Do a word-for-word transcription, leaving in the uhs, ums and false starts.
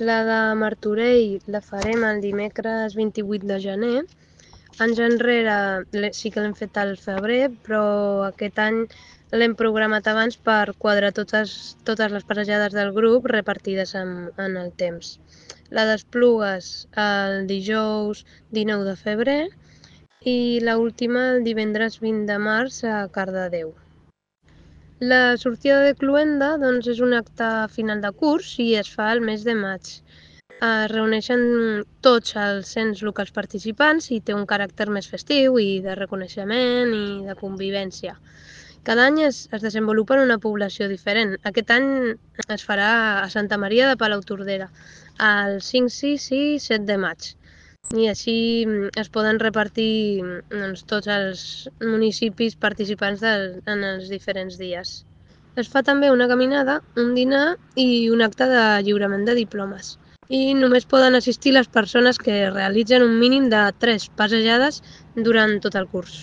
La de Martorell la farem el dimecres vint-i-vuit de gener. Anys enrere sí que l'hem fet al febrer, però aquest any l'hem programat abans per quadrar totes, totes les passejades del grup repartides en, en el temps. La d'Esplugues el dijous dinou de febrer i l'última el divendres vint de març a Cardedeu. La sortida de Cluenda doncs, és un acte final de curs i es fa el mes de maig. Es reuneixen tots els ens locals participants i té un caràcter més festiu i de reconeixement i de convivència. Cada any es, es desenvolupa en una població diferent. Aquest any es farà a Santa Maria de Palautordera, el cinc, sis i set de maig. I així es poden repartir doncs, tots els municipis participants del, en els diferents dies. Es fa també una caminada, un dinar i un acte de lliurament de diplomes. I només poden assistir les persones que realitzen un mínim de tres passejades durant tot el curs.